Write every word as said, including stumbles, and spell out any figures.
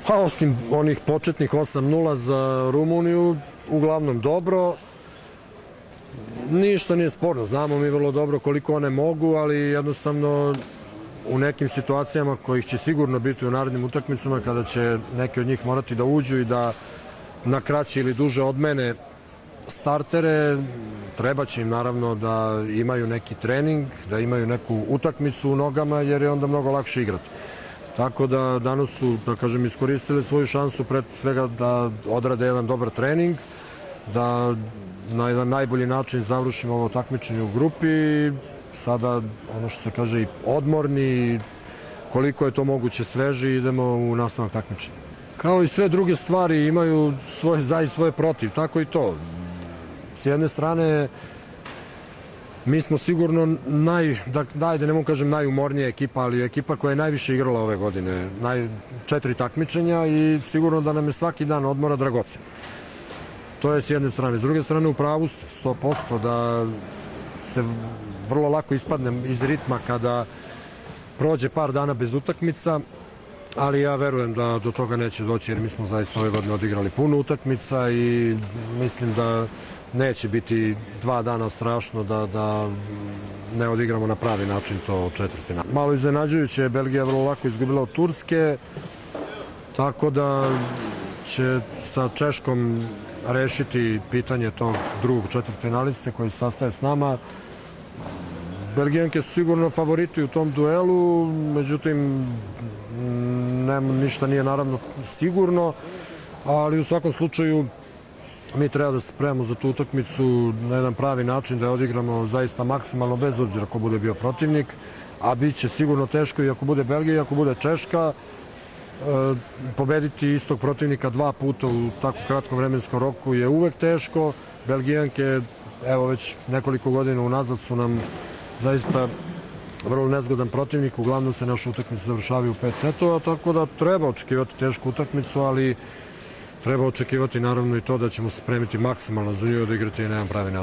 Pa osim onih početnih osam nula za Rumuniju, uglavnom dobro. Ništa nije sporno, znamo mi vrlo dobro koliko one mogu, ali jednostavno u nekim situacijama kojih će sigurno biti u narednim utakmicama, kada će neki od njih morati da uđu i da na kraće ili duže odmene startere, treba će im naravno da imaju neki trening, da imaju neku utakmicu u nogama, jer je onda mnogo lakše igrati. Tako da danas su, da kažem, iskoristili svoju šansu pre svega da odrade jedan dobar trening, da na jedan najbolji način završimo ovo takmičenje u grupi. Sada, ono što se kaže, i odmorni, koliko je to moguće sveži, idemo u nastavak takmičenja. Kao i sve druge stvari imaju svoje za i svoje protiv, tako i to. S jedne strane, mi smo sigurno naj, da, dajde, ne mogu kažem najumornija ekipa, ali ekipa koja je najviše igrala ove godine, naj, četiri takmičenja i sigurno da nam je svaki dan odmora dragocen. To je s jedne strane. S druge strane, u pravu ste, sto posto, da se vrlo lako ispadnem iz ritma kada prođe par dana bez utakmica, ali ja verujem da do toga neće doći, jer mi smo zaista ove godine odigrali puno utakmica i mislim da neće biti dva dana strašno da, da ne odigramo na pravi način to četvrtfinale. Malo iznenađujuće je Belgija vrlo lako izgubila od Turske, tako da će sa Češkom rešiti pitanje tog drugog četvrtfinaliste koji se sastaje s nama. Belgijanke su sigurno favoriti u tom duelu, međutim ne, ništa nije naravno sigurno, ali u svakom slučaju mi treba da se spremamo za tu utakmicu na jedan pravi način, da je odigramo zaista maksimalno, bez obzira ko bude bio protivnik, a bit će sigurno teško i ako bude Belgija i ako bude Češka. E, pobediti istog protivnika dva puta u tako kratkom vremenskom roku je uvek teško. Belgijanke, evo već nekoliko godina unazad, su nam zaista vrlo nezgodan protivnik, uglavnom se naše utakmice završavaju u pet setova, tako da treba očekivati tešku utakmicu, ali treba očekivati naravno i to da ćemo se spremiti maksimalno za nju, da igrati na jedan pravi način.